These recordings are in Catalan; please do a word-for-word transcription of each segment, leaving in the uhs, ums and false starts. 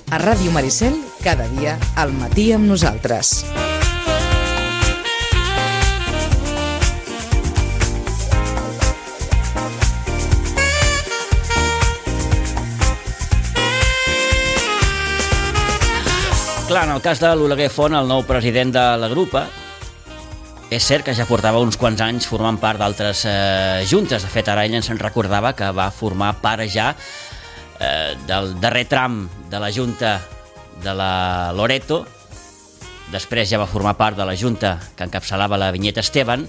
A Ràdio Maricel, cada dia al matí amb nosaltres. Clar, en el cas de l'Oleguer Font, el nou president de la grupa, és cert que ja portava uns quants anys formant part d'altres eh, juntes. De fet, ara ell ens en recordava que va formar part ja eh, del darrer tram de la junta de la Loreto. Després ja va formar part de la junta que encapçalava la Vinyeta Esteban.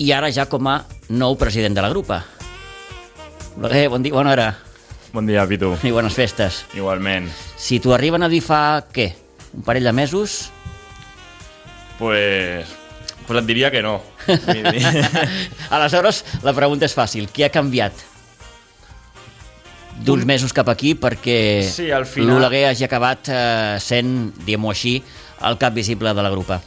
I ara ja com a nou president de la grupa. Oleguer, bon dia, bona hora. Bon dia, Pitu. I bones festes. Igualment. Si t'ho arriben a dir fa, què? Un parell de mesos? Pues, pues et diria que no. Aleshores, la pregunta és fàcil. Què ha canviat d'uns mesos cap aquí perquè sí, al final... l'Oleguer hagi acabat eh, sent, diguem-ho així, el cap visible de la grupa?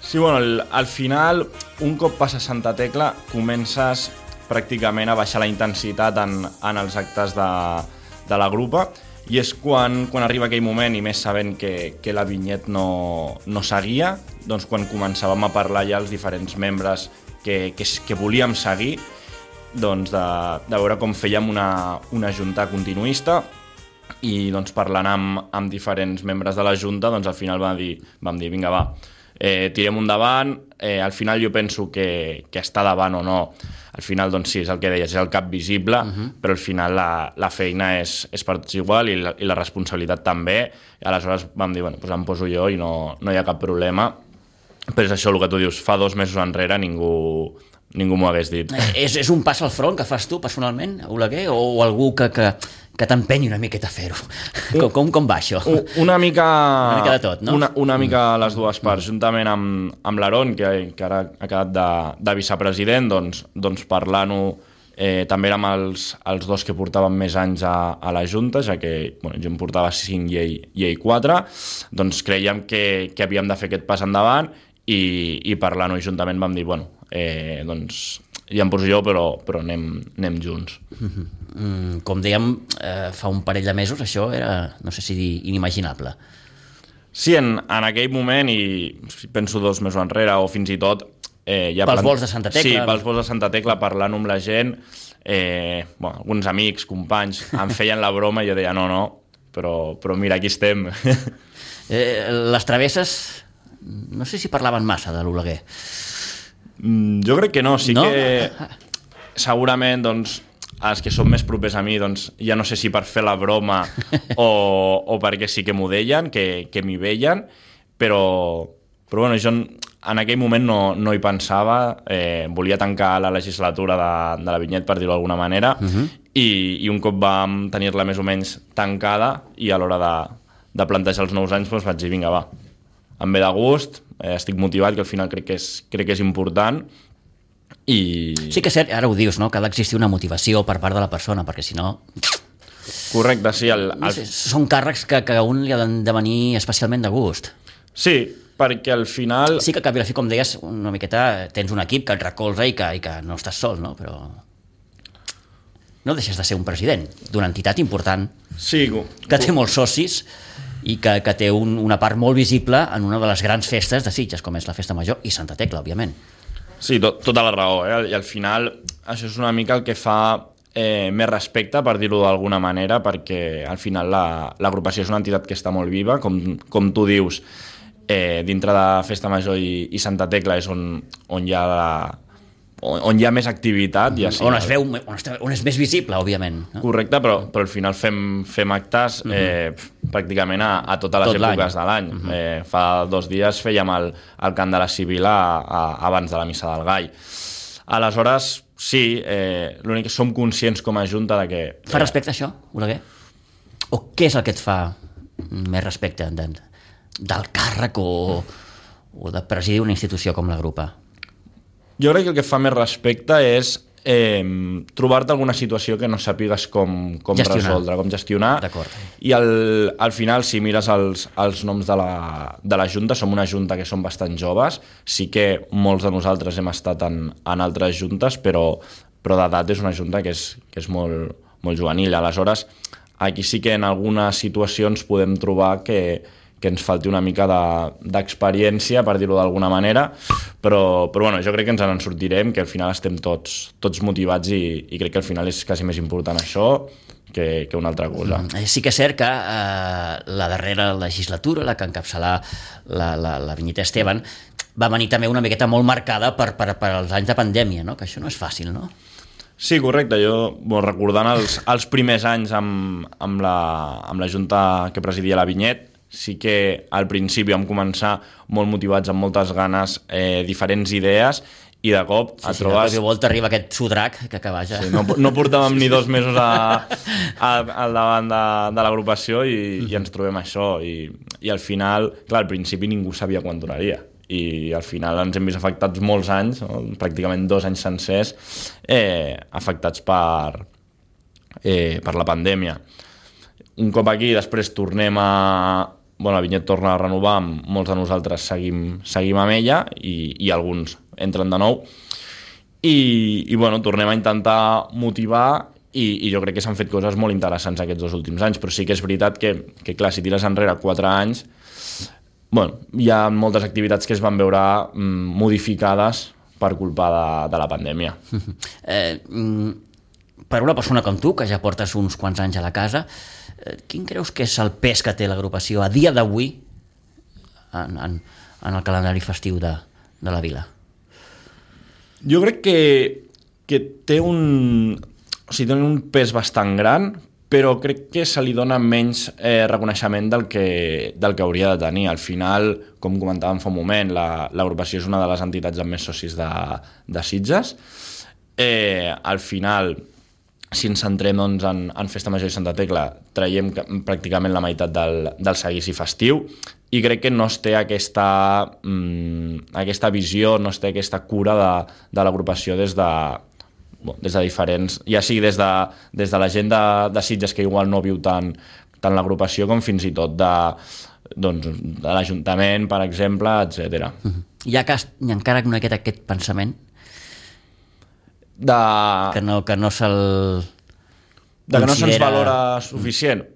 Sí, bueno, al, al final, un cop passa Santa Tecla, comences pràcticament a baixar la intensitat en, en els actes de, de la grupa, i és quan, quan arriba aquell moment, i més sabent que, que la Vinyet no, no seguia, doncs quan començàvem a parlar ja els diferents membres que, que, que volíem seguir, doncs de, de veure com fèiem una, una junta continuista, i doncs parlant amb, amb diferents membres de la junta, doncs al final vam dir, vam dir vinga va, eh, tirem un davant, eh, al final jo penso que, que està davant o no, al final, doncs sí, és el que deies, és el cap visible, uh-huh. però al final la, la feina és, és per tots igual i la, i la responsabilitat també. I aleshores vam dir, bueno, doncs em poso jo i no, no hi ha cap problema. Però és això el que tu dius, fa dos mesos enrere ningú, ningú m'ho hagués dit. És, és un pas al front que fas tu personalment, Oleguer, o, o algú que, que, que t'empenyi una miqueta a fer-ho? Com, com, com va això? Una mica... Una mica de tot, no? Una, una mica les dues parts, juntament amb, amb l'Aaron, que, que ara ha quedat de, de vicepresident, doncs, doncs parlant-ho eh, també amb els, els dos que portaven més anys a, a la Junta, ja que bueno, jo em portava cinc i ell, i ell quatre, doncs creiem que, que havíem de fer aquest pas endavant i, i parlant-ho juntament vam dir, bueno, eh, doncs ja em poso jo, però, però anem, anem junts. Mm, com dèiem, eh, fa un parell de mesos això era, no sé si dir, inimaginable. Sí, en, en aquell moment, i penso dos mesos enrere, o fins i tot... Eh, ja pels plan... vols de Santa Tecla. Sí, pels vols de Santa Tecla, parlant amb la gent, eh, bueno, alguns amics, companys, em feien la broma i jo deia no, no, però, però mira, aquí estem. eh, les travesses, no sé si parlaven massa de l'Oleguer. Mm, jo crec que no, sí no? que segurament doncs, els que són més propers a mi doncs, ja no sé si per fer la broma o, o perquè sí que m'ho deien, que, que m'hi veien, però, però bueno, jo en aquell moment no, no hi pensava, eh, volia tancar la legislatura de, de la Vinyet, per dir-ho d'alguna manera, uh-huh. i, i un cop vam tenir-la més o menys tancada i a l'hora de, de plantejar els nous anys doncs vaig dir, vinga va, em ve de gust, eh, estic motivat, que al final crec que és, crec que és important. I... Sí que és cert, ara ho dius, no? Que ha d'existir una motivació per part de la persona, perquè si no... Correcte, sí. El, el... No sé, són càrrecs que, que a un li han de venir especialment de gust. Sí, perquè al final... Sí que al cap i a la fi, com deies, una miqueta tens un equip que et recolza i que, i que no estàs sol, no? Però no deixes de ser un president d'una entitat important, sí, que té molts socis i que, que té un, una part molt visible en una de les grans festes de Sitges, com és la Festa Major i Santa Tecla, òbviament. Sí, to, tota la raó, eh? I al final això és una mica el que fa eh, més respecte, per dir-ho d'alguna manera, perquè al final la, l'agrupació és una entitat que està molt viva, com, com tu dius, eh, dintre de Festa Major i, i Santa Tecla és on, on hi ha la, on, on hi ha més activitat. Ja sí, on es veu, on, es, on és més visible, òbviament. No? Correcte, però, però al final fem, fem actes eh, uh-huh. pràcticament a, a totes les Tot èpoques l'any. de l'any. Uh-huh. Eh, fa dos dies fèiem el, el cant de la Sibila a, a, abans de la Missa del Gall. Aleshores, sí, eh, l'únic que som conscients com a Junta de que... Fa eh, respecte a això, Oleguer? O què és el que et fa més respecte de, del càrrec o, o de presidir una institució com la Grupa? Jo crec que el que fa més respecte és eh, trobar-te alguna situació que no sàpigues com, com resoldre, com gestionar. D'acord. I al, al final, si mires els, els noms de la, de la Junta, som una Junta que som bastant joves, sí que molts de nosaltres hem estat en, en altres juntes, però, però d'edat és una Junta que és, que és molt, molt juvenil. Aleshores, aquí sí que en algunes situacions podem trobar que, que ens falti una mica d'experiència, de, per dir-ho d'alguna manera, però, però bueno, jo crec que ens en sortirem, que al final estem tots, tots motivats i, i crec que al final és quasi més important això que, que una altra cosa. Mm. Sí que és cert que eh, la darrera legislatura, la que encapçalà la, la, la Vinyeta Esteban, va venir també una miqueta molt marcada per, per, per els anys de pandèmia, no? Que això no és fàcil, no? Sí, correcte. Jo, bueno, recordant els, els primers anys amb, amb, la, amb la Junta que presidia la Vinyet, sí que al principi vam començar molt motivats, amb moltes ganes, eh, diferents idees, i de cop sí, et sí, trobes... Sí, de volta arriba aquest sudrac que, que vaja... Sí, no, no portàvem ni dos mesos a, a, al davant de, de l'agrupació i, mm-hmm. i ens trobem això. I, I al final, clar, al principi ningú sabia quan duraria. I al final ens hem vist afectats molts anys, no? Pràcticament dos anys sencers, eh, afectats per, eh, per la pandèmia. Un cop aquí, després tornem a... Bueno, la Vinyet torna a renovar, molts de nosaltres seguim, seguim amb ella i, i alguns entren de nou. I, i bueno, tornem a intentar motivar i, i jo crec que s'han fet coses molt interessants aquests dos últims anys, però sí que és veritat que, que clar, si tires enrere quatre anys, bueno, hi ha moltes activitats que es van veure mm, modificades per culpa de, de la pandèmia. Eh, per una persona com tu, que ja portes uns quants anys a la casa, eh, quin creus que és el pes que té l'agrupació a dia d'avui en, en, en el calendari festiu de, de la vila? Jo crec que, que té un, o sigui, té un pes bastant gran, però crec que se li dona menys eh, reconeixement del que, del que hauria de tenir. Al final, com comentàvem fa un moment, la, l'agrupació és una de les entitats amb més socis de, de Sitges. Eh, al final, si ens centrem doncs, en, en Festa Major i Santa Tecla, traiem pràcticament la meitat del, del seguici festiu i crec que no es té aquesta, mm, aquesta visió, no es té aquesta cura de, de l'agrupació des de, bon, des de diferents, ja sigui des de, des de la gent de, de Sitges que igual no viu tant, tant l'agrupació com fins i tot de, doncs, de l'Ajuntament, per exemple, etcètera. Uh-huh. Hi ha, cas, hi ha encara una miqueta aquest pensament de... que no, que no se'l de que no se'ns valora suficient.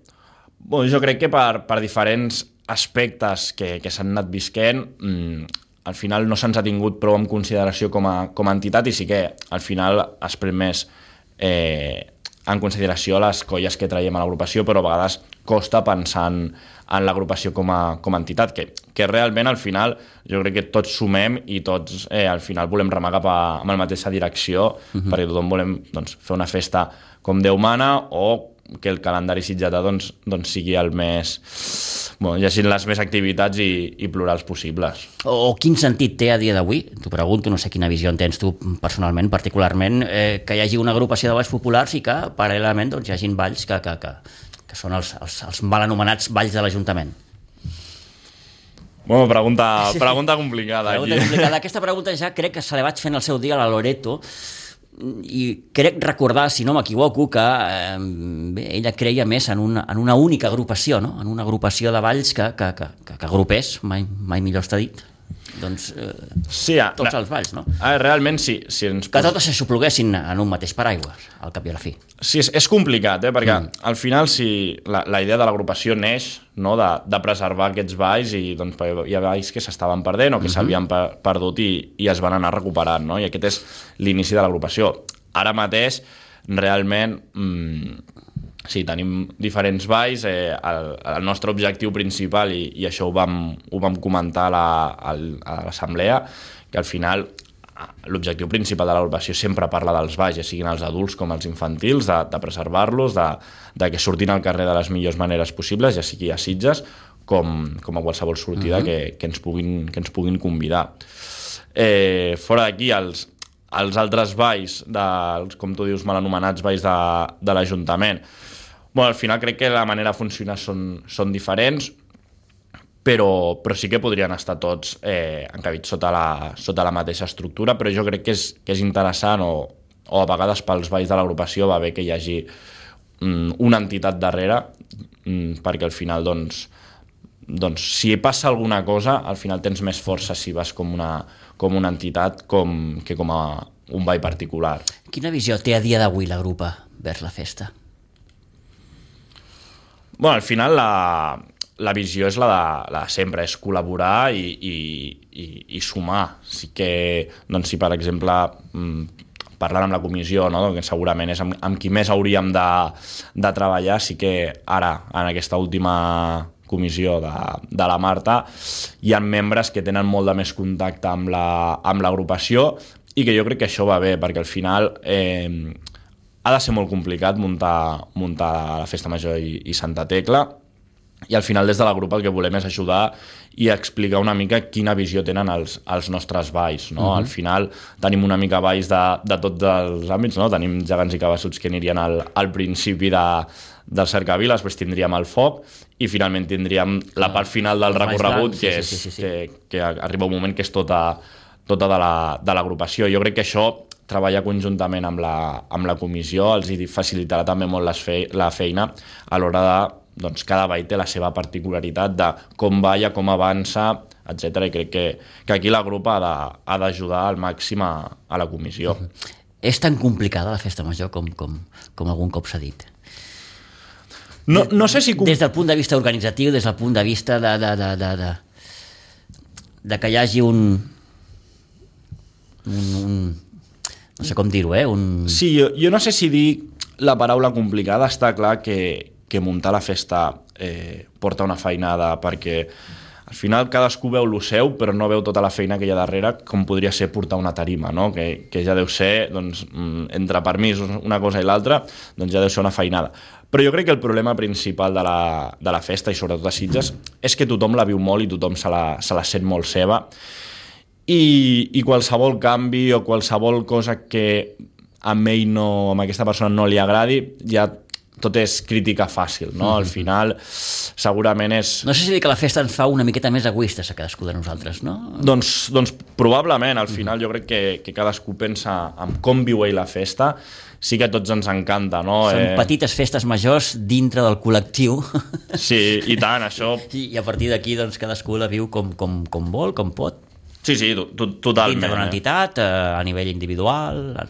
Bon, jo crec que per, per diferents aspectes que, que s'han anat visquent, mmm, al final no se'ns ha tingut prou en consideració com a, com a entitat i sí que al final es pren més eh, en consideració les colles que traiem a l'agrupació, però a vegades costa pensar en, en l'agrupació com a, com a entitat, que, que realment al final jo crec que tots sumem i tots eh, al final volem remar cap a, amb la mateixa direcció, uh-huh. perquè tothom volem doncs, fer una festa com Déu mana o que el calendari sitgetà doncs, doncs sigui el més... Bueno, hi hagi les més activitats i, i plurals possibles. O, o quin sentit té a dia d'avui, t'ho pregunto, no sé quina visió en tens tu personalment, particularment, eh, que hi hagi una agrupació de balls populars i que paral·lelament doncs, hi hagin balls que, que, que, que són els, els, els mal anomenats balls de l'Ajuntament. Bueno, pregunta, pregunta complicada. Pregunta aquí. complicada. Aquesta pregunta ja crec que se la vaig fent el seu dia a la Loreto, i crec recordar, si no m'equivoco, que eh, bé, ella creia més en una, en una única agrupació, no? En una agrupació de balls que, que, que, que, que agrupés, mai, mai millor està dit, doncs eh, sí, a, tots els balls, no? A, realment sí. Si ens que totes se s'opluguessin en un mateix paraigua, al cap i a la fi. Sí, és, és complicat, eh? Perquè mm. al final si la, la idea de l'agrupació neix, no? de, de preservar aquests balls i doncs, hi ha balls que s'estaven perdent o que mm-hmm. s'havien per, perdut i, i es van anar recuperant, no? I aquest és l'inici de l'agrupació. Ara mateix, realment, mmm, sí, tenim diferents balls. Eh, el, el nostre objectiu principal, i, i això ho vam, ho vam comentar a, la, a l'assemblea, que al final l'objectiu principal de l'agrupació sempre parla dels balls, ja siguin els adults com els infantils, de, de preservar-los, de, de que surtin al carrer de les millors maneres possibles, ja sigui a Sitges com, com a qualsevol sortida uh-huh. que, que, ens puguin, que ens puguin convidar. Eh, fora d'aquí, els, els altres balls, dels, com tu dius, mal anomenats balls de, de l'Ajuntament, bueno, al final crec que la manera de funcionar són, són diferents, però, però sí que podrien estar tots eh, encabits sota la, sota la mateixa estructura, però jo crec que és, que és interessant o, o a vegades pels balls de l'agrupació va bé que hi hagi mm, una entitat darrere mm, perquè al final doncs, doncs si passa alguna cosa al final tens més força si vas com una, com una entitat com, que com a un ball particular. Quina visió té a dia d'avui la grupa vers la festa? Bueno, al final la, la visió és la de, la de sempre, és col·laborar i, i, i, i sumar. Sí que, doncs, si per exemple, parlant amb la comissió, no? Que segurament és amb, amb qui més hauríem de, de treballar, sí que ara, en aquesta última comissió de, de la Marta, hi ha membres que tenen molt de més contacte amb la, amb l'agrupació i que jo crec que això va bé, perquè al final eh, ha de ser molt complicat muntar, muntar la Festa Major i, i Santa Tecla, i al final des de la grup el que volem és ajudar i explicar una mica quina visió tenen els, els nostres balls, no? Uh-huh. Al final tenim una mica balls de, de tots els àmbits, no? Tenim gegants i cabassuts que anirien al, al principi de, del cercavila, després tindríem el foc i finalment tindríem la part final del recorregut, que, és, sí, sí, sí, sí. Que, que arriba un moment que és tota, tota de, la, de l'agrupació. Jo crec que això, treballar conjuntament amb la, amb la comissió, els facilitarà també molt les fe, la feina a l'hora de, doncs, cada ball té la seva particularitat de com balla, com avança, etcètera. I crec que, que aquí la grup ha, de, ha d'ajudar al màxim a, a la comissió. Uh-huh. És tan complicada la Festa Major com, com, com algun cop s'ha dit? No, no sé si... Des del punt de vista organitzatiu, des del punt de vista de, de, de, de, de, de que hi hagi un, un, un no sé com dir-ho, eh? Un... Sí, jo, jo no sé si dir la paraula complicada. Està clar que, que muntar la festa eh, porta una feinada, perquè al final cadascú veu lo seu, però no veu tota la feina que hi ha darrere, com podria ser portar una tarima, no? Que, que ja deu ser, doncs, entre permisos, una cosa i l'altra, doncs ja deu ser una feinada. Però jo crec que el problema principal de la, de la festa, i sobretot a Sitges, és que tothom la viu molt i tothom se la, se la sent molt seva, i, i qualsevol canvi o qualsevol cosa que a ell no, a aquesta persona no li agradi, ja tot és crítica fàcil, no? Al final, segurament és... No sé si dir que la festa ens fa una miqueta més egoistes a cadascú de nosaltres, no? Doncs, doncs probablement, al final jo crec que, que cadascú pensa en com viu ell la festa. Sí que a tots ens encanta, no? Són eh... petites festes majors dintre del col·lectiu. Sí, i tant, això... I, i a partir d'aquí, doncs, cadascú la viu com, com, com vol, com pot. Sí, sí, to, to, totalment. Dintre d'una entitat, a nivell individual...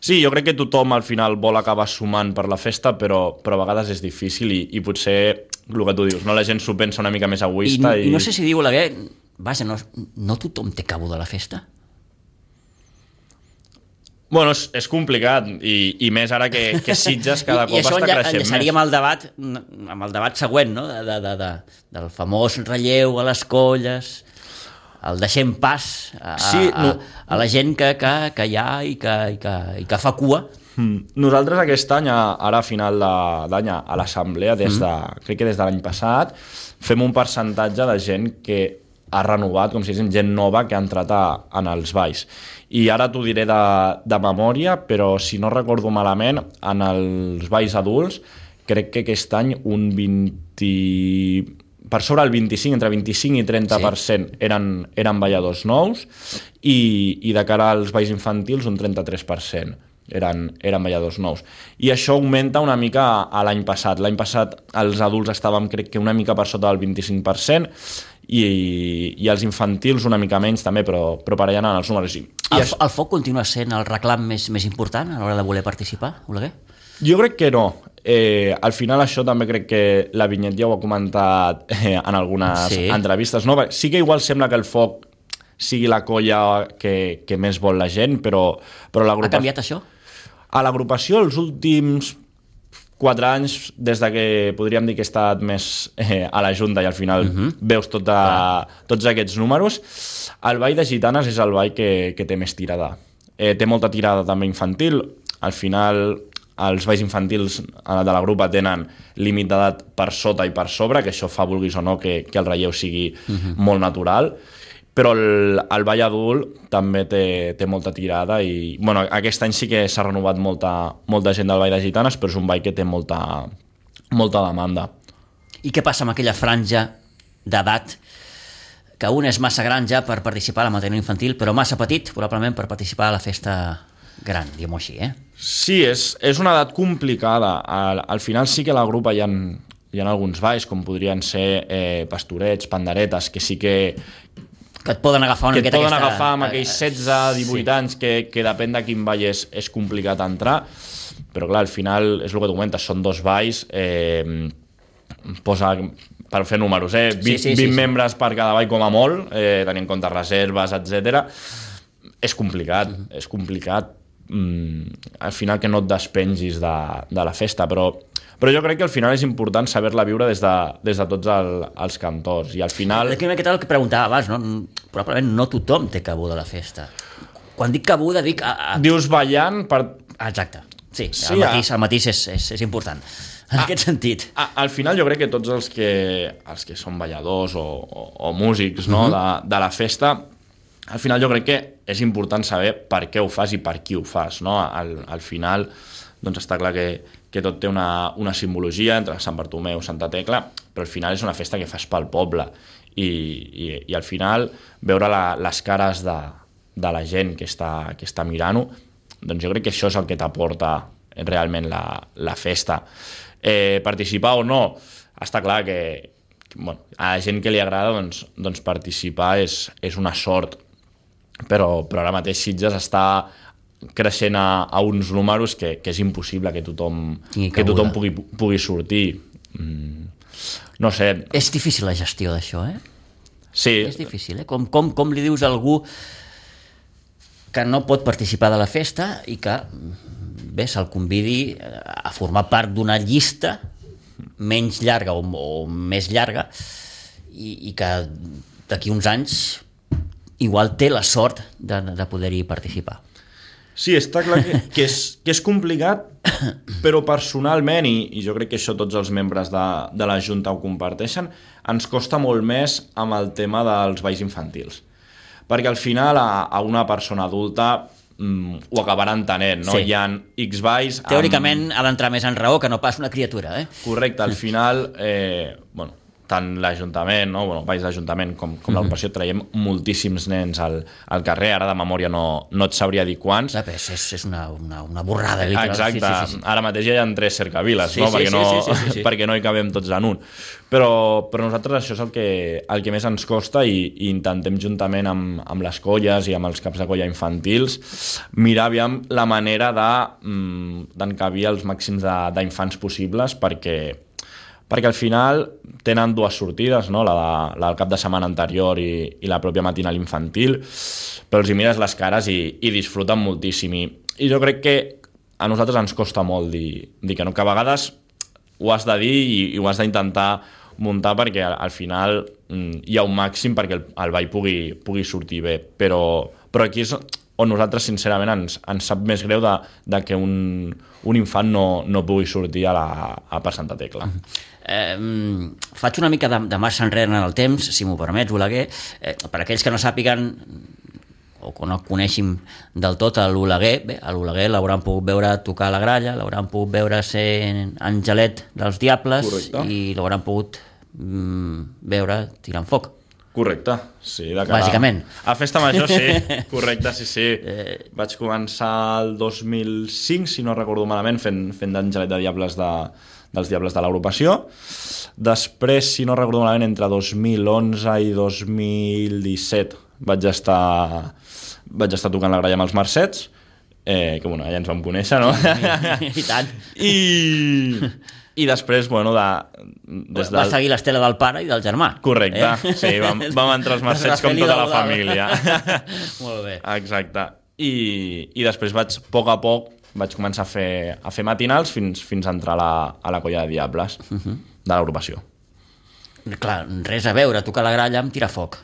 Sí, jo crec que tothom al final vol acabar sumant per la festa, però, però a vegades és difícil i, i potser el que tu dius, no? La gent s'ho pensa una mica més egoista. I, i... i no sé si diu Oleguer, vaja, no, no tothom té cabo de la festa? Bueno, és, és complicat, i, i més ara que, que Sitges cada cop està creixent més. I això enllaçaríem el debat, amb el debat següent, no? de, de, de, del famós relleu a les colles... el deixem pas a, sí, no. a, a la gent que, que, que hi ha i que, i que, i que fa cua. Mm. Nosaltres aquest any, ara a final d'any, a l'assemblea, des de, mm. crec que des de l'any passat, fem un percentatge de gent que ha renovat, com si diguéssim, gent nova que ha entrat a, en els balls. I ara t'ho diré de, de memòria, però si no recordo malament, en els balls adults, crec que aquest any un vint... per sobre el vint-i-cinc, entre vint-i-cinc i trenta per cent sí. eren, eren balladors nous i, i de cara als balls infantils un trenta-tres per cent eren, eren balladors nous. I això augmenta una mica a l'any passat. L'any passat els adults estàvem, crec que una mica per sota del vint-i-cinc per cent i, i els infantils una mica menys també, però, però per allà anant els números. I el, això... el foc continua sent el reclam més, més important a l'hora de voler participar, Oleguer? Jo crec que no. Eh, al final això també crec que la Vinyet ja ho ha comentat eh, en algunes sí. entrevistes, no? Sí que igual sembla que el foc sigui la colla que, que més vol la gent, però, però l'agrupació... Ha canviat això? A l'agrupació els últims quatre anys, des de que podríem dir que he estat més eh, a la Junta i al final uh-huh. veus tota, tots aquests números, el ball de gitanes és el ball que, que té més tirada. Eh, té molta tirada també infantil, al final... els balls infantils de la grupa tenen límit d'edat per sota i per sobre, que això fa, vulguis o no, que, que el relleu sigui uh-huh. molt natural, però el, el ball adult també té, té molta tirada i bueno, aquest any sí que s'ha renovat molta, molta gent del ball de gitanes, però és un ball que té molta, molta demanda. I què passa amb aquella franja d'edat que un és massa gran ja per participar a la matèria infantil, però massa petit probablement per participar a la festa gran, diguem-ho així, eh? Sí, és, és una edat complicada. Al, al final sí que a la grupa hi ha, hi ha alguns balls, com podrien ser eh, pastorets, panderetes, que sí que... Que et poden agafar una miqueta aquesta... Que et poden aquesta... agafar amb aquells setze divuit sí. anys, que, que depèn de quin ball és, és complicat entrar. Però clar, al final, és el que tu comentes, són dos balls... Eh, posa, per fer números, eh? vint, sí, sí, sí, vint sí. membres per cada ball com a molt, eh, tenint en compte reserves, etcètera. És complicat, uh -huh. és complicat. Mm, al final que no et despengis de, de la festa, però, però jo crec que al final és important saber-la viure des de, des de tots el, els cantors, i al final... És que el que preguntava abans, no? Probablement no tothom té cabuda a la festa. Quan dic cabuda dic... A, a... Dius ballant per... Exacte, sí, sí el matís, el matís és, és, és important, en a, aquest sentit. A, al final jo crec que tots els que, els que són balladors o, o, o músics, no? uh-huh. de, de la festa, al final jo crec que és important saber per què ho fas i per qui ho fas, no? Al, al final, doncs està clar que, que tot té una, una simbologia entre Sant Bartomeu i Santa Tecla, però al final és una festa que fas pel poble, i, i, i al final veure la, les cares de, de la gent que està, que està mirant-ho, doncs jo crec que això és el que t'aporta realment la, la festa. Eh, participar o no, està clar que, que bueno, a la gent que li agrada, doncs, doncs participar és, és una sort, però, però ara mateix Sitges està creixent a, a uns números que, que és impossible que tothom, que tothom pugui, pugui sortir. Mm, no sé... És difícil la gestió d'això, eh? Sí. És difícil, eh? Com, com, com li dius a algú que no pot participar de la festa i que, bé, se'l convidi a formar part d'una llista menys llarga o, o més llarga i, i que d'aquí uns anys igual té la sort de, de poder-hi participar. Sí, està clar que, que, és, que és complicat, però personalment, i, i jo crec que això tots els membres de, de la Junta ho comparteixen, ens costa molt més amb el tema dels balls infantils. Perquè al final a, a una persona adulta mm, ho acabarà entenent, no? Sí. Hi ha X balls... Teòricament amb... ha d'entrar més en raó que no pas una criatura, eh? Correcte, al final, eh, bueno, tant l'Ajuntament, no? Bueno, balls d'Ajuntament com, com l'agrupació, traiem moltíssims nens al, al carrer, ara de memòria no, no et sabria dir quants. És, és, és una, una, una borrada. Exacte, sí, sí, sí. Ara mateix ja hi ha tres cercaviles, sí, no? Sí, perquè, sí, no sí, sí, sí, sí. perquè no hi cabem tots en un. Però, però nosaltres això és el que, el que més ens costa, i, i intentem juntament amb, amb les colles i amb els caps de colla infantils mirar aviam la manera de, d'encabir els màxims d'infants possibles, perquè perquè al final tenen dues sortides, no? la, de, la del cap de setmana anterior i, i la pròpia matinal infantil, però els hi mires les cares i, i disfruten moltíssim. I, I jo crec que a nosaltres ens costa molt dir, dir que no, que a vegades ho has de dir i, i ho has d'intentar muntar perquè al, al final mm, hi ha un màxim perquè el, el ball pugui, pugui sortir bé, però, però aquí és on nosaltres sincerament ens, ens sap més greu de, de que un, un infant no, no pugui sortir a, la, a per Santa Tecla. Eh, faig una mica de, de marxa enrere en el temps, si m'ho permets, Oleguer. Eh, per aquells que no sàpiguen o que no coneixin del tot a l'Oleguer, bé, a l'Oleguer l'hauran pogut veure tocar a la gralla, l'hauran pogut veure ser Angelet dels Diables. Correcte. I l'hauran pogut mm, veure tirant foc. Correcte, sí. De cara... Bàsicament. A Festa Major, sí. Correcte, sí, sí. Eh... Vaig començar el dos mil cinc, si no recordo malament, fent, fent d'Angelet de Diables de, dels Diables de l'agrupació. Després, si no recordo malament, entre dos mil onze i dos mil disset vaig estar, vaig estar tocant la gralla amb els Mercets, eh, que bueno, allà ens vam conèixer, no? I, i tant. I... I després, bueno, de... Des del... Va seguir l'estela del pare i del germà. Correcte, eh? Sí, vam, vam entrar els Mercets com tota la família. Molt bé. Exacte. I, i després vaig, a poc a poc, vaig començar a fer, a fer matinals fins, fins a entrar a la, a la colla de Diables, uh-huh. de l'agrupació. Clar, res a veure, tocar la gralla amb tirar foc.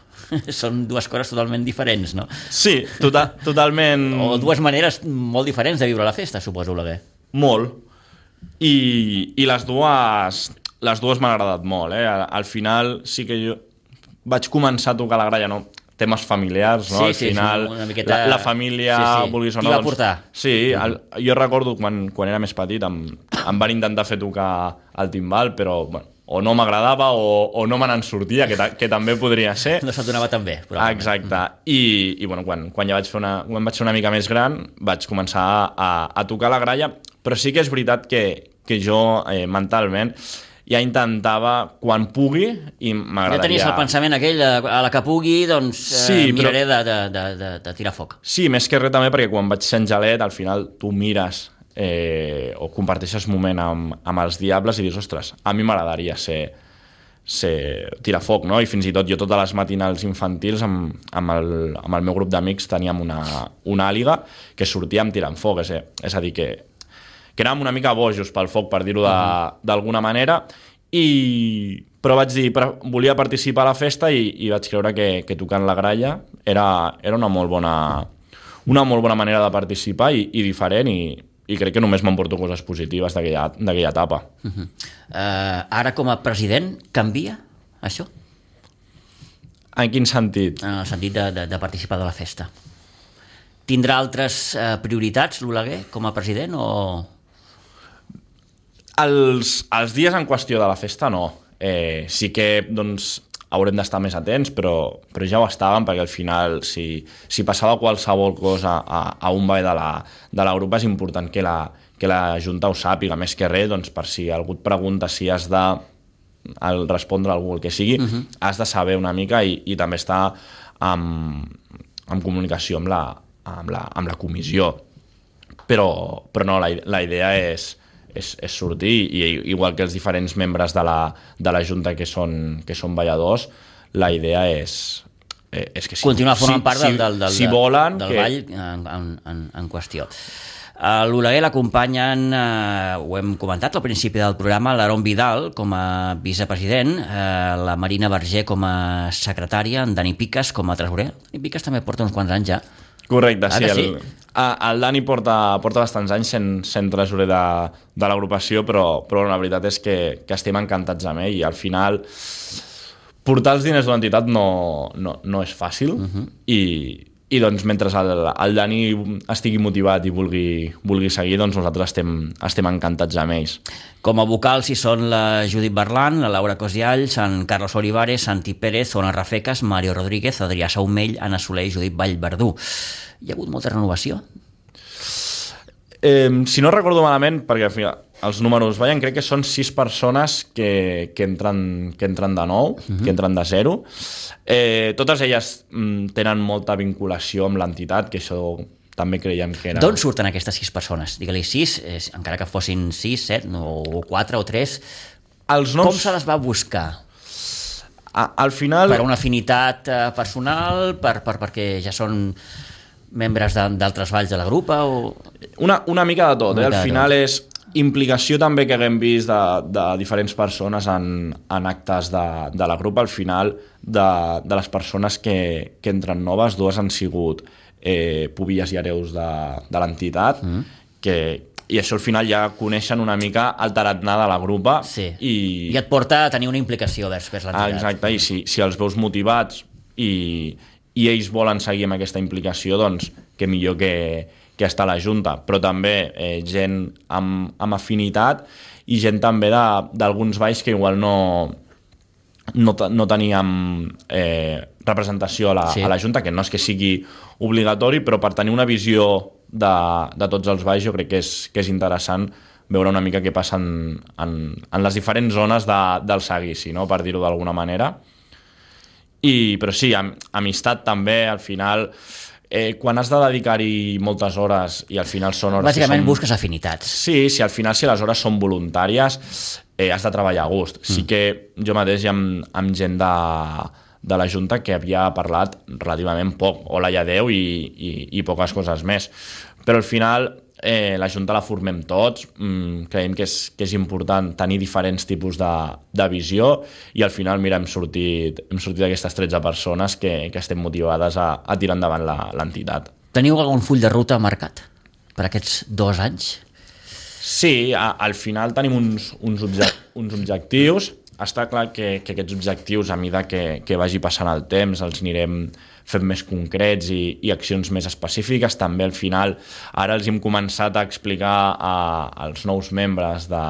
Són dues coses totalment diferents, no? Sí, total, totalment... O dues maneres molt diferents de viure la festa, suposo, Oleguer. Molt. I, i les dues les dues m'han agradat molt, eh? Al, al final sí que jo vaig començar a tocar la gralla, no? Temes familiars, no? Sí, Al sí, final una miqueta... la, la família, sí, sí. vulguis o no... Qui va doncs, portar? Sí, el, jo recordo quan, quan era més petit em, em van intentar fer tocar el timbal, però bueno, o no m'agradava o, o no me n'en sortia, que, ta, que també podria ser. No se't donava tan bé. Exacte. I, i bueno, quan, quan ja vaig fer una, quan vaig ser una mica més gran vaig començar a, a tocar la gralla, però sí que és veritat que, que jo eh, mentalment ja intentava quan pugui i m'agradaria... Ja tenies el pensament aquell, a la que pugui, doncs eh, sí, miraré però... de, de, de, de tirar foc. Sí, més que res també perquè quan vaig ser Angelet, al final tu mires eh, o comparteixes moment amb, amb els diables i dius, ostres, a mi m'agradaria ser, ser tirar foc, no? I fins i tot jo totes les matinals infantils amb, amb, el, amb el meu grup d'amics teníem una, una àliga que sortíem tirant foc, és, és a dir, que, que érem una mica bojos pel foc, per dir-ho d'alguna manera, i, però vaig dir, volia participar a la festa i, i vaig creure que, que tocant la gralla era, era una molt bona, una molt bona manera de participar i, i diferent, i i crec que només m'emporto coses positives d'aquella etapa. Uh-huh. uh, ara, com a president, canvia això? En quin sentit? En el sentit de, de, de participar de la festa. Tindrà altres uh, prioritats, l'Oleguer, com a president, o...? Els, els dies en qüestió de la festa, no. Eh, sí que, doncs, haurem d'estar més atents, però, però ja ho estàvem, perquè al final, si, si passava qualsevol cosa a, a un ball de la, de la grupa, és important que la, que la Junta ho sàpiga, més que res, doncs, per si algú et pregunta si has de el respondre a algú, el que sigui, uh-huh. has de saber una mica i, i també estar en, en comunicació amb la, amb la, amb la comissió. Però, però no, la, la idea és... És, és sortir, i igual que els diferents membres de la, de la Junta que són, que són balladors, la idea és, és que si, continuar formant si, part del, del, del, si volen del que... ball en, en, en qüestió. A l'Oleguer l'acompanyen, eh, ho hem comentat al principi del programa, l'Aaron Vidal com a vicepresident, eh, la Marina Verger com a secretària, en Dani Piques com a tresorer. Dani Piques també porta uns quants anys ja. Correcte, ah, sí. sí? El, el Dani porta, porta bastants anys sent, sent tresorer de, de l'agrupació, però, però la veritat és que, que estem encantats amb ell, i al final portar els diners d'una entitat no, no, no és fàcil, uh-huh. i, i doncs mentre el, el Dani estigui motivat i vulgui, vulgui seguir, doncs nosaltres estem, estem encantats amb ells. Com a vocals hi són la Judit Berlan, la Laura Cosiall, Sant Carlos Olivares, Santi Pérez, Ona Rafecas, Mario Rodríguez, Adrià Saumell, Anna Soler i Judit Vallverdú. Hi ha hagut molta renovació? Eh, si no recordo malament, perquè al final els números ballen, crec que són sis persones que, que, entren, que entren de nou, uh-huh. que entren de zero. Eh, totes elles mm, tenen molta vinculació amb l'entitat, que això també creiem que era... D'on surten aquestes sis persones? Digue-li sis, eh, encara que fossin sis, set, no, o quatre o tres. Els noms... Com se les va buscar? A, al final... Per una afinitat eh, personal, per, per, perquè ja són membres d'altres valls de la grupa? O... Una, una mica de tot, eh? Al final tot. És implicació també que haguem vist de, de diferents persones en, en actes de, de la grupa. Al final, de, de les persones que, que entren noves, dues han sigut eh, pubilles i hereus de, de l'entitat, mm. que, i això al final ja coneixen una mica el tarannà de la grupa. Sí. I... I et porta a tenir una implicació vers, vers l'entitat. Ah, exacte, i si, si els veus motivats i, i ells volen seguir amb aquesta implicació, doncs que millor que, que està a la Junta, però també eh, gent amb, amb afinitat i gent també d'alguns balls que igual no, no, no teníem eh, representació a la, sí. a la Junta, que no és que sigui obligatori, però per tenir una visió de, de tots els balls jo crec que és, que és interessant veure una mica què passa en, en, en les diferents zones de, del seguici, no? Per dir-ho d'alguna manera. I, però sí, am, amistat també, al final... Eh, quan has de dedicar-hi moltes hores i al final són hores... Bàsicament són... busques afinitats. Sí, si al final si les hores són voluntàries eh, has de treballar a gust. Mm. Sí que jo mateix amb, amb gent de, de la Junta que havia parlat relativament poc, o la Lladeu i, i, i poques coses més. Però al final eh, la Junta la formem tots, mm, creiem que és, que és important tenir diferents tipus de, de visió i al final, mira, hem sortit, hem sortit d'aquestes tretze persones que, que estem motivades a, a tirar endavant l'entitat. Teniu algun full de ruta marcat per aquests dos anys? Sí, a, al final tenim uns, uns, obje, uns objectius. Està clar que, que aquests objectius, a mesura que, que vagi passant el temps, els anirem fent més concrets i, i accions més específiques. També al final, ara els hem començat a explicar a, als nous membres de,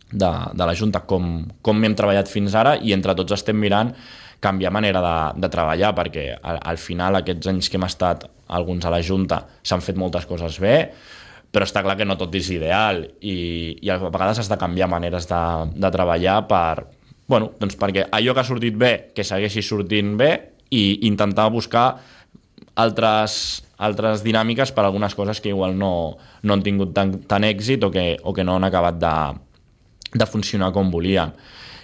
de, de la Junta com, com hem treballat fins ara i entre tots estem mirant canviar manera de, de treballar, perquè al, al final aquests anys que hem estat alguns a la Junta s'han fet moltes coses bé, però està clar que no tot és ideal i, i a vegades has de canviar maneres de, de treballar per, bueno, doncs perquè allò que ha sortit bé, que segueixi sortint bé i intentar buscar altres, altres dinàmiques per algunes coses que igual no, no han tingut tan, tan èxit o que, o que no han acabat de, de funcionar com volíem.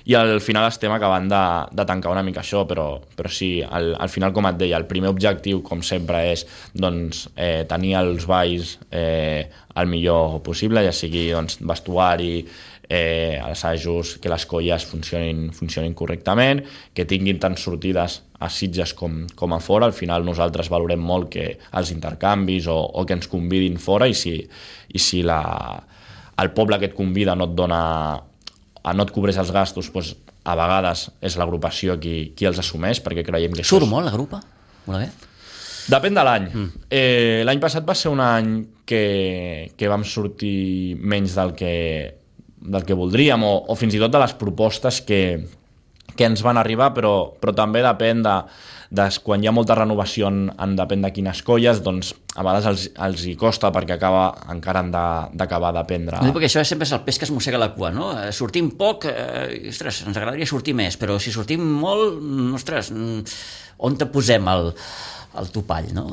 I al final estem acabant de, de tancar una mica això, però, però sí, al, al final, com et deia, el primer objectiu, com sempre, és doncs, eh, tenir els balls eh, el millor possible, ja sigui doncs, vestuari, eh, assajos, que les colles funcionin, funcionin correctament, que tinguin tant sortides a Sitges com, com a fora. Al final nosaltres valorem molt que els intercanvis o, o que ens convidin fora, i si, i si la, el poble que et convida no et dona... no et cobreix els gastos, doncs, a vegades és l'agrupació qui, qui els assumeix, perquè creiem que... Surt és... molt la grupa? Molt bé. Depèn de l'any. Mm. Eh, l'any passat va ser un any que, que vam sortir menys del que, del que voldríem, o, o fins i tot de les propostes que, que ens van arribar, però, però també depèn de, de quan hi ha molta renovació en, en depèn de quines colles, doncs a vegades els, els hi costa, perquè acaba, encara han d'acabar d'aprendre. No, perquè això sempre és el peix que es mossega la cua, no? Sortim poc, eh, ostres, ens agradaria sortir més, però si sortim molt, ostres, on te posem el, el topall, no?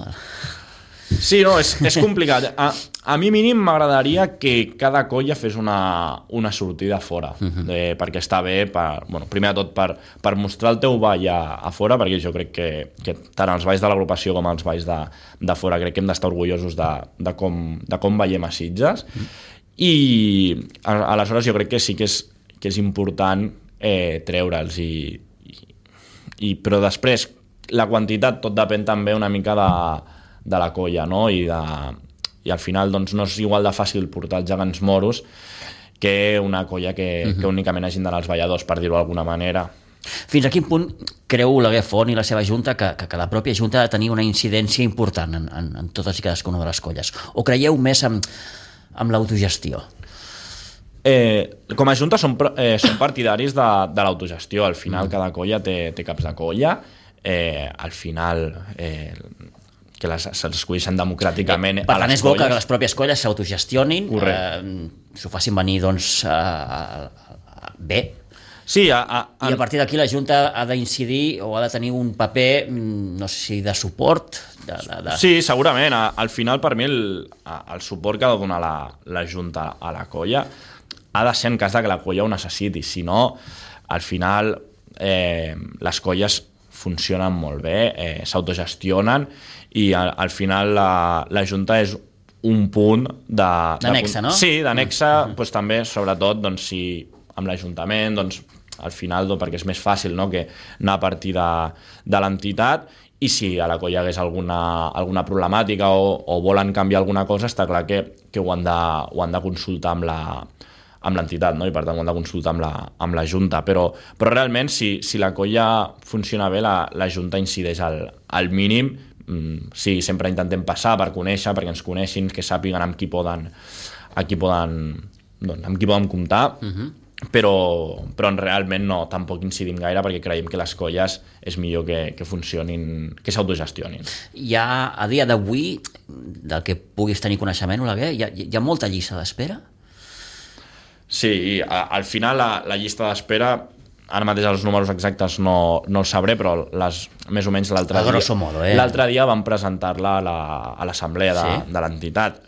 Sí, no, és, és complicat. A, a mi mínim m'agradaria que cada colla fes una, una sortida fora, uh-huh. eh, perquè està bé, per, bueno, primer de tot per, per mostrar el teu ball a, a fora, perquè jo crec que, que tant els balls de l'agrupació com els balls de, de fora crec que hem d'estar orgullosos de, de, com, de com veiem a Sitges, uh-huh. i a, aleshores jo crec que sí que és, que és important eh, treure'ls, i, i, i, però després la quantitat tot depèn també una mica de de la colla, no? I, de, i al final doncs, no és igual de fàcil portar els gegants moros que una colla que, uh-huh. que únicament hagin d'anar als balladors, per dir-ho d'alguna manera. Fins a quin punt creu Oleguer Font i la seva junta que, que, que la pròpia junta ha de tenir una incidència important en, en, en totes i cadascuna de les colles? O creieu més en, en l'autogestió? Eh, com a junta som, eh, som partidaris de, de l'autogestió. Al final uh-huh. cada colla té, té caps de colla. Eh, al final... Eh, que les, se'ls escolleixen democràticament eh, per a tant, les és bo colles. que les pròpies colles s'autogestionin, eh, s'ho facin venir doncs, a, a, a, bé. Sí, a, a, a... I a partir d'aquí la Junta ha d'incidir o ha de tenir un paper, no sé si de suport. De, de, de... Sí, segurament. A, al final, per mi, el, el suport que ha de donar la, la Junta a la colla ha de ser en cas de que la colla ho necessiti. Si no, al final, eh, les colles funcionen molt bé, eh, s'autogestionen, i al, al final la, la Junta és un punt de... D'anexa, no? Sí, d'anexa, uh-huh. doncs, també, sobretot, doncs, si amb l'Ajuntament, doncs, al final, doncs, perquè és més fàcil, no?, que anar a partir de, de l'entitat, i si a la colla hi hagués alguna, alguna problemàtica o, o volen canviar alguna cosa, està clar que, que ho, han de, ho han de consultar amb la amb l'entitat, no? I per tant ho han de consultar amb la, amb la Junta, però, però realment si, si la colla funciona bé, la, la Junta incideix al, al mínim. Mm, sí, sempre intentem passar per conèixer, perquè ens coneixin, que sàpiguen amb qui poden, amb qui poden, doncs, amb qui poden comptar, uh-huh. però, però realment no, tampoc incidim gaire, perquè creiem que les colles és millor que, que funcionin, que s'autogestionin. Hi ha, a dia d'avui, del que puguis tenir coneixement, Oleguer, hi ha, hi ha molta llista d'espera? Sí, a, al final la, la llista d'espera, ara mateix els números exactes no, no els sabré, però les, més o menys l'altre dia, modo, eh? l'altre dia vam presentar-la a, la, a l'assemblea de, sí? de l'entitat.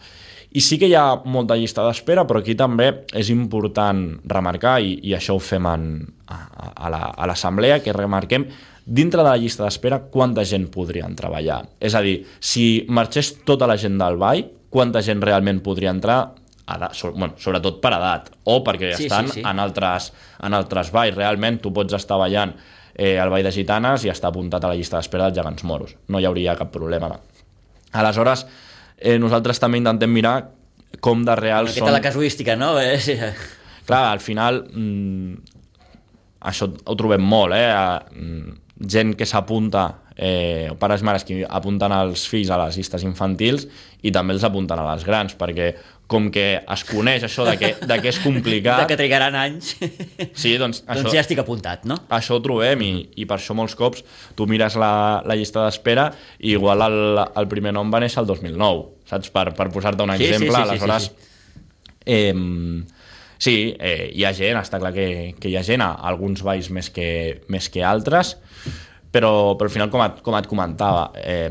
I sí que hi ha molta llista d'espera, però aquí també és important remarcar, i, i això ho fem en, a, a, la, a l'assemblea, que remarquem dintre de la llista d'espera quanta gent podrien treballar. És a dir, si marxés tota la gent del ball, quanta gent realment podria entrar, edat, bueno, sobretot per edat, o perquè sí, estan sí, sí. en altres, en altres balls. Realment tu pots estar ballant eh, al ball de gitanes i estar apuntat a la llista d'espera dels gegants moros. No hi hauria cap problema. Aleshores, eh, nosaltres també intentem mirar com de real són... Aquesta la casuística, no? Clar, al final mmm, això ho trobem molt, eh? Gent que s'apunta, eh, pares i mares que apunten els fills a les llistes infantils i també els apunten a les grans, perquè com que es coneix això de que, de que és complicat... De que trigaran anys. Sí, doncs... Doncs això, ja estic apuntat, no? Això ho trobem, i, i per això molts cops tu mires la, la llista d'espera i igual el, el primer nom va néixer el dos mil nou, saps? Per, per posar-te un sí, exemple, sí, sí, aleshores... Sí, sí. Eh, sí eh, hi ha gent, està clar que, que hi ha gent, a alguns balls més que, més que altres, però, però al final, com et, com et comentava... Eh,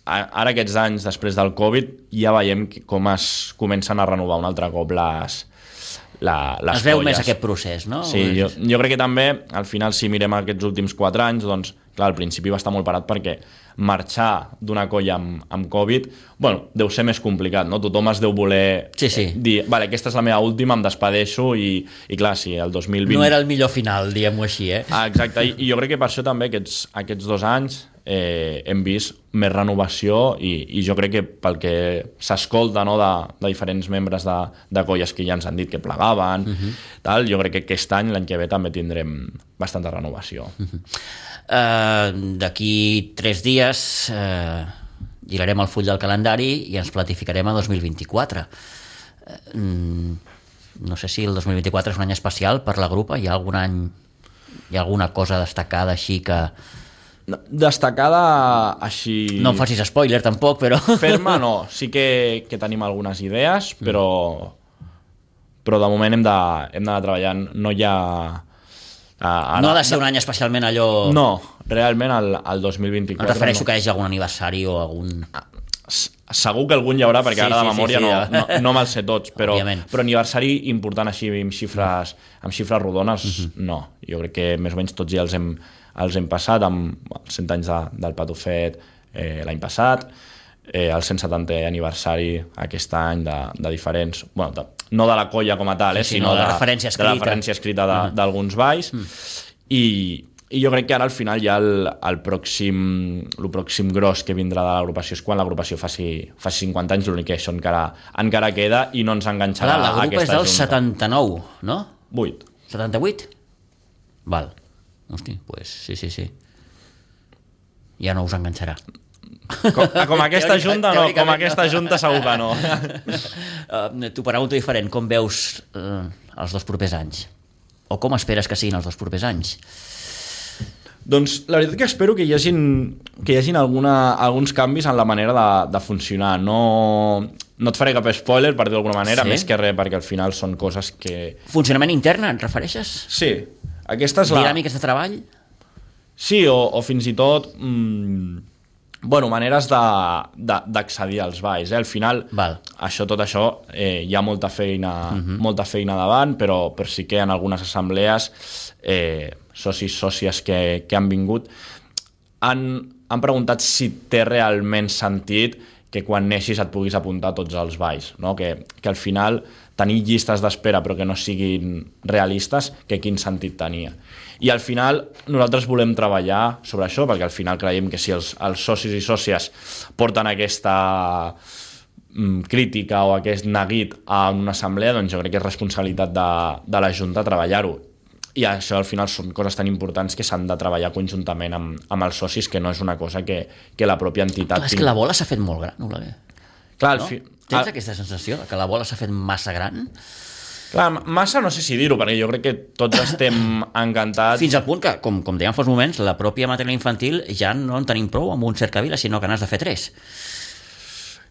ara aquests anys després del Covid ja veiem com es comencen a renovar un altre cop les, la, les es veu colles. més aquest procés, no? Sí, jo, jo crec que també al final si mirem aquests últims quatre anys, doncs clar, al principi va estar molt parat perquè marxar d'una colla amb, amb Covid, bueno, deu ser més complicat, no? Tothom es deu voler sí, sí. dir, vale, aquesta és la meva última, em despedeixo i, i clar, sí, el dos mil vint... No era el millor final, diguem-ho així, eh? Ah, exacte, I, i jo crec que per això també aquests, aquests dos anys eh, hem vist més renovació i, i jo crec que pel que s'escolta, no, de, de diferents membres de, de colles que ja ens han dit que plegaven, uh-huh. tal, jo crec que aquest any, l'any que ve, també tindrem bastanta renovació. Uh-huh. Uh, d'aquí tres dies uh, girarem el full del calendari i ens planificarem a dos mil vint-i-quatre. Uh, no sé si el dos mil vint-i-quatre és un any especial per la grupa. Hi ha algun any, hi ha alguna cosa destacada així que... Destacada així... No em facis spoiler tampoc, però... Ferma no, sí que, que tenim algunes idees, però, però de moment hem de, hem d'anar treballant. No hi ha... Ara, no ha de ser un any especialment allò... No, realment el, el dos mil vint-i-quatre... Em refereixo no. que hi hagi algun aniversari o algun... Segur que algun hi haurà, perquè sí, ara de sí, memòria sí, sí, no, ja. no, no me'ls sé tots, però, Òbviament. però aniversari important així amb xifres, amb xifres rodones, uh-huh. no. Jo crec que més o menys tots ja els hem, els hem passat, amb els cent anys de, del Patufet eh, l'any passat, eh, el cent setantè aniversari aquest any de, de diferents... Bueno, de, no de la colla com a tal, eh, sí, sí, sinó no, de, de, referència escrita. de la referència escrita d'alguns uh-huh. balls, uh-huh. i... I jo crec que ara al final ja el, el, pròxim, el pròxim gros que vindrà de l'agrupació és quan l'agrupació faci, faci cinquanta anys, l'únic que això encara, encara queda i no ens enganxarà Clar, la grupa aquesta és del junta. setanta-nou, no? vuit. setanta-vuit? Val. Hosti, pues sí, sí, sí. Ja no us enganxarà. Com, com aquesta junta no, com aquesta junta segur que no. uh, T'ho pregunto diferent, com veus uh, els dos propers anys? O com esperes que siguin els dos propers anys? Doncs la veritat que espero que hi hagin, que hi hagin alguna, alguns canvis en la manera de, de funcionar. No, no et faré cap spoiler, per dir d'alguna manera, sí? Més que res, perquè al final són coses que... Funcionament intern, et refereixes? Sí. Aquesta és la... Dinàmiques de treball? Sí, o, o fins i tot... Mmm, bueno, maneres d'accedir als balls. Eh? Al final, Val. això, tot això, eh, hi ha molta feina, uh-huh. molta feina davant, però, però sí que en algunes assemblees... Eh, socis, sòcies que, que han vingut han, han preguntat si té realment sentit que quan neixis et puguis apuntar a tots els balls, no? que, que al final tenir llistes d'espera però que no siguin realistes, que quin sentit tenia. I al final nosaltres volem treballar sobre això, perquè al final creiem que si els, els socis i sòcies porten aquesta mm, crítica o aquest neguit a una assemblea, doncs jo crec que és responsabilitat de, de la Junta treballar-ho. I això al final són coses tan importants que s'han de treballar conjuntament amb, amb els socis, que no és una cosa que, que la pròpia entitat... Clar, és que la bola s'ha fet molt gran, Oleguer. Clar, no? fi... Tens al... aquesta sensació que la bola s'ha fet massa gran? Clar, massa no sé si dir-ho, perquè jo crec que tots estem encantats... Fins al punt que, com, com dèiem fa uns moments, la pròpia matèria infantil ja no en tenim prou amb un cercavila, sinó que n'has de fer tres.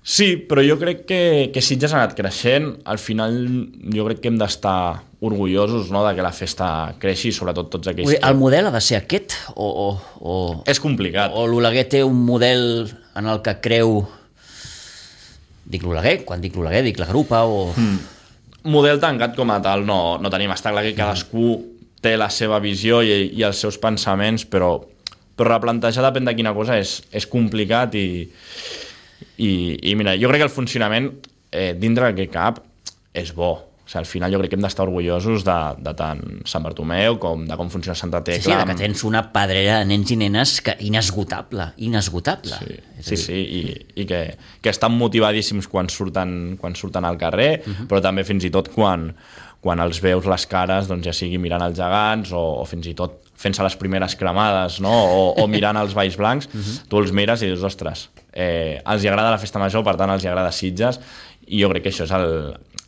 Sí, però jo crec que, que Sitges ha anat creixent. Al final jo crec que hem d'estar orgullosos, no?, de que la festa creixi, sobretot tots aquells... Ui, que... el model ha de ser aquest? O, o, o... És complicat. O l'Oleguer té un model en el que creu... Dic l'Oleguer, quan dic l'Oleguer dic la grupa o... Mm. Model tancat com a tal no, no tenim. Està clar que cadascú té la seva visió i, i els seus pensaments, però, però replantejar depèn de quina cosa és, és complicat i... I, i mira, jo crec que el funcionament eh, dintre d'aquest cap és bo. O sigui, al final jo crec que hem d'estar orgullosos de, de tant Sant Bartomeu com de com funciona Santa Tecla. Sí, sí, de que tens una pedrera de nens i nenes que inesgotable, inesgotable. Sí, sí, sí, i, i que, que estan motivadíssims quan surten, quan surten al carrer, uh-huh. però també fins i tot quan, quan els veus les cares, doncs ja sigui mirant els gegants o, o fins i tot fent-se les primeres cremades, no? o, o mirant els balls blancs, uh-huh. tu els mires i dius, ostres, eh, els hi agrada la festa major, per tant els hi agrada Sitges, i jo crec que això és el,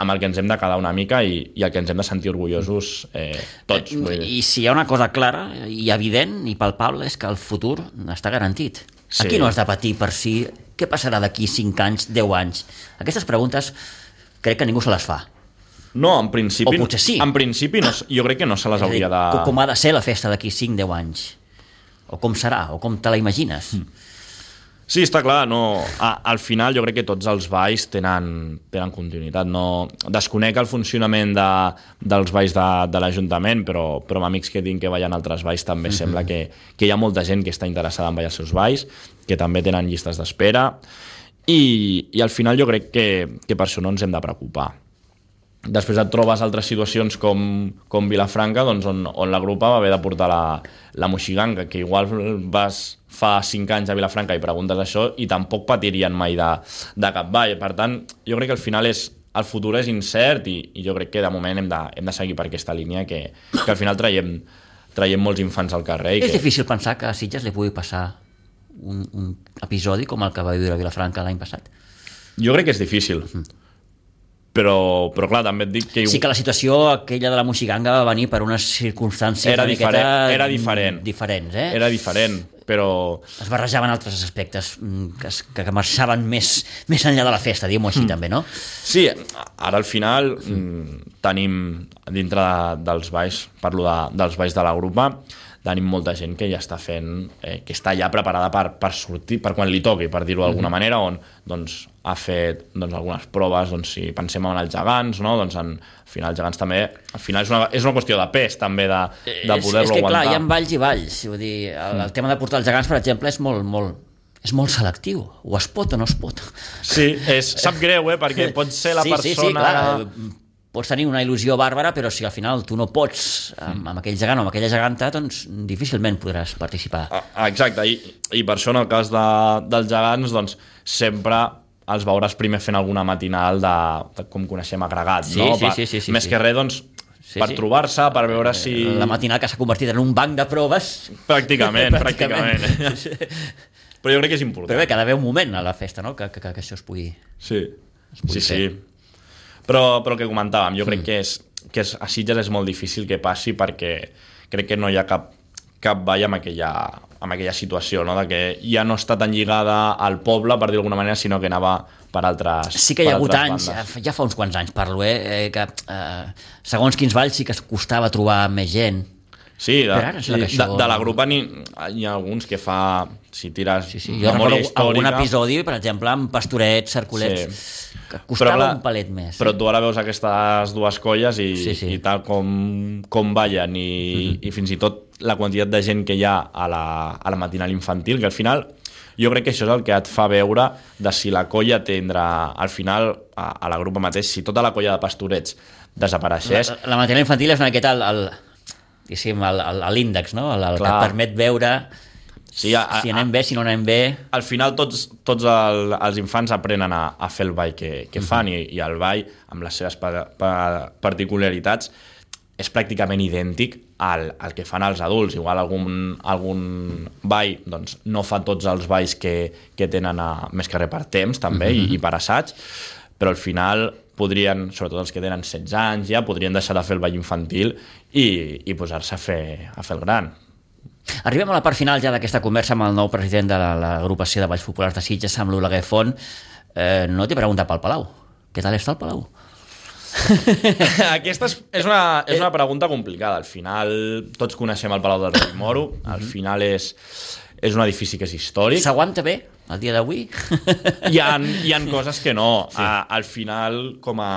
amb el que ens hem de quedar una mica i, i el que ens hem de sentir orgullosos eh, tots. Vull dir. I si hi ha una cosa clara i evident i palpable és que el futur està garantit. Sí. Aquí no has de patir per si què passarà d'aquí cinc anys, deu anys. Aquestes preguntes crec que ningú se les fa. No, en principi, o potser sí. En principi no, jo crec que no se les hauria de... Com ha de ser la festa d'aquí cinc, deu anys? O com serà? O com te la imagines? Mm. Sí, està clar, no. A, al final jo crec que tots els balls tenen, tenen continuïtat. No, desconec el funcionament de, dels balls de, de l'Ajuntament, però, però amb amics que tinc que ballen altres balls també mm-hmm. sembla que, que hi ha molta gent que està interessada en ballar els seus balls, que també tenen llistes d'espera, i, i al final jo crec que, que per això no ens hem de preocupar. Després et trobes altres situacions com, com Vilafranca, doncs on, on la grupa va haver de portar la, la moixiganga, que igual vas fa cinc anys a Vilafranca i preguntes això i tampoc patirien mai de, de cap ball. Per tant, jo crec que al final és, el futur és incert i, i jo crec que de moment hem de, hem de seguir per aquesta línia, que, que al final traiem, traiem molts infants al carrer. I és que... difícil pensar que a Sitges li pugui passar un, un episodi com el que va viure a Vilafranca l'any passat? Jo crec que és difícil. Mm. Però, però clar, també et dic que... Sí que la situació aquella de la moixiganga va venir per unes circumstàncies era una diferent, miqueta era diferent. diferents, eh? Era diferent, però... Es barrejaven altres aspectes que, que, que marxaven més, més enllà de la festa, diguem-ho així mm. també, no? Sí, ara al final mm. tenim dintre de, dels balls, parlo de, dels balls de la grupa, tenim molta gent que ja està fent, eh, que està ja preparada per, per sortir, per quan li toqui, per dir-ho d'alguna mm-hmm. manera, on doncs, ha fet doncs, algunes proves, doncs, si pensem en els gegants, no? Doncs en, al final els gegants també, al final és una, és una qüestió de pes també, de, de poder-lo aguantar. És que clar, hi ha valls i valls, vull dir, el, mm. el tema de portar els gegants, per exemple, és molt, molt, és molt selectiu, o es pot o no es pot. Sí, és, sap greu, eh? Perquè pot ser la sí, persona... Sí, sí, clar, pots tenir una il·lusió bàrbara, però si al final tu no pots amb, amb aquell gegant o amb aquella geganta, doncs difícilment podràs participar. Ah, exacte, I, i per això en el cas de, dels gegants, doncs sempre els veuràs primer fent alguna matinal de, de com coneixem agregat, sí, no? Sí, sí, sí, sí, Més sí. que res, doncs, sí, per sí. trobar-se, per veure si... La matinal que s'ha convertit en un banc de proves. Pràcticament, pràcticament. pràcticament. Però jo crec que és important. Però bé, que ha d'haver un moment a la festa, no? Que, que, que això es pugui... Sí, es pugui sí, fer. sí. Però, però el que comentàvem, jo crec mm. que, és, que és, a Sitges és molt difícil que passi perquè crec que no hi ha cap, cap ball amb aquella, amb aquella situació, no? De que ja no està tan lligada al poble, per dir d'alguna manera, sinó que anava per altres Sí que hi ha hagut anys, bandes. ja fa uns quants anys parlo, eh, que eh, segons quins balls sí que es costava trobar més gent. Sí, de, ara, sí, això... de, de la grupa n'hi hi ha alguns que fa, si tires sí, sí. Jo recordo històrica... algun episodi, per exemple, amb Pastorets, Cercolets, sí. que costava la, un palet més. Però tu ara veus aquestes dues colles i, sí, sí. i tal com, com ballen i, mm-hmm. i fins i tot la quantitat de gent que hi ha a la, a la matinal infantil, que al final jo crec que això és el que et fa veure de si la colla tindrà, al final, a, a la grupa mateix, si tota la colla de Pastorets desapareixés... La, la matinal infantil és una miqueta el... el... l'índex, no? El, el que et permet veure sí, a, a, si anem bé, si no anem bé. Al final tots, tots el, els infants aprenen a, a fer el ball que, que fan mm-hmm. i, i el ball, amb les seves pa, pa, particularitats, és pràcticament idèntic al, al que fan els adults. Igual algun, algun ball doncs, no fa tots els balls que, que tenen a, més que res per temps també mm-hmm. i, i per assaig, però al final podrien, sobretot els que tenen setze anys ja, podrien deixar de fer el ball infantil i, i posar-se a fer, a fer el gran. Arribem a la part final ja d'aquesta conversa amb el nou president de l'agrupació de Balls Populars de Sitges, amb l'Oleguer Font. Eh, no t'he preguntat pel Palau. Què tal està el Palau? Aquesta és, és, una, és una pregunta complicada. Al final, tots coneixem el Palau del Rei Moro. Al final és, és un edifici que és històric. S'aguanta bé el dia d'avui? Hi ha, hi ha coses que no. Sí. A, al final, com a,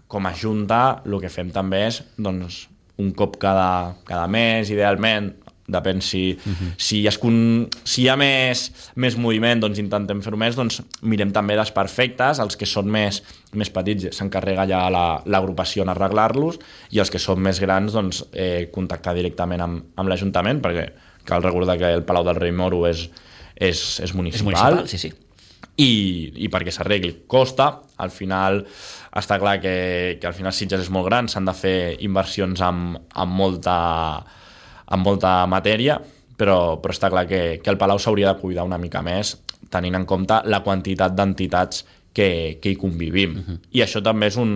com a junta, el que fem també és doncs, un cop cada, cada mes, idealment, depèn si, uh-huh. si, es con... si hi ha més, més moviment, doncs intentem fer-ho més, doncs mirem també les perfectes, els que són més, més petits s'encarrega ja l'agrupació en arreglar-los i els que són més grans doncs, eh, contactar directament amb, amb l'Ajuntament, perquè cal recordar que el Palau del Rei Moro és, és, és municipal, és municipal sí, sí. I, i perquè s'arregli costa, al final està clar que, que al final Sitges és molt gran, s'han de fer inversions amb, amb molta amb molta matèria, però, però està clar que, que el Palau s'hauria de cuidar una mica més, tenint en compte la quantitat d'entitats que, que hi convivim. Uh-huh. I això també és un,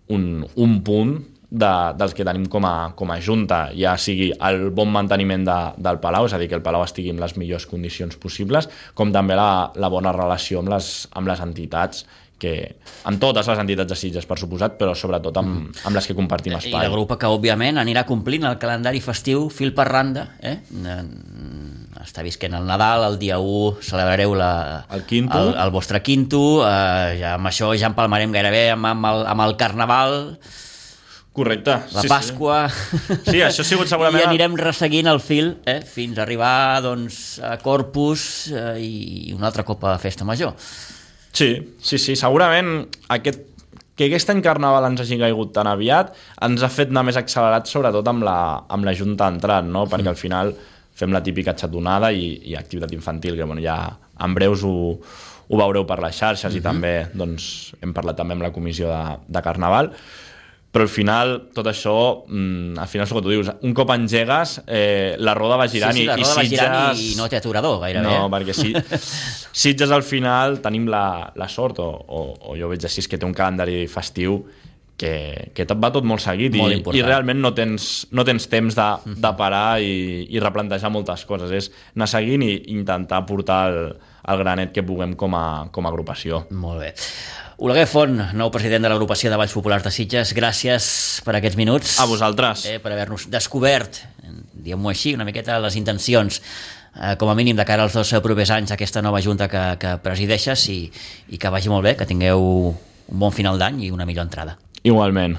un, un punt de, dels que tenim com a, com a junta, ja sigui el bon manteniment de, del Palau, és a dir, que el Palau estigui en les millors condicions possibles, com també la, la bona relació amb les, amb les entitats, que, amb totes les entitats de Sitges, per suposat, però sobretot amb, amb les que compartim espai. I la grupa que, òbviament, anirà complint el calendari festiu fil per randa, eh? està visquent el Nadal, el dia u celebrareu la, el, quinto. el, el vostre quinto, eh, ja amb això ja empalmarem gairebé amb, amb, el, amb el Carnaval, correcte. la sí, Pasqua... Sí. sí, això ha sigut segurament... I anirem resseguint el fil eh, fins a arribar doncs, a Corpus eh, i una altra copa de festa major. Sí, sí, sí, segurament aquest que aquest any Carnaval ens hagi caigut tan aviat ens ha fet anar més accelerat, sobretot amb la, amb la junta d'entrat, no? Perquè al final fem la típica xatonada i, i activitat infantil, que bueno, ja en breus ho, ho veureu per les xarxes uh-huh. i també doncs, hem parlat també amb la comissió de, de Carnaval, però al final tot això, mmm, al final és el que tu dius, un cop engegues eh, la roda va girant, sí, sí, la roda i, i va girant Sitges... i no té aturador gairebé. No, eh? perquè si, Sitges al final tenim la, la sort, o, o, o jo veig així, que té un calendari festiu que, que tot va tot molt seguit molt i, i realment no tens, no tens temps de, de parar i, i replantejar moltes coses, és anar seguint i intentar portar el, el granet que puguem com a, com a agrupació. Molt bé. Oleguer Font, nou president de l'agrupació de Balls Populars de Sitges, gràcies per aquests minuts. A vosaltres. Eh, per haver-nos descobert, diguem-ho així, una miqueta les intencions, eh, com a mínim de cara als dos propers anys, aquesta nova junta que, que presideixes i, i que vagi molt bé, que tingueu un bon final d'any i una millor entrada. Igualment.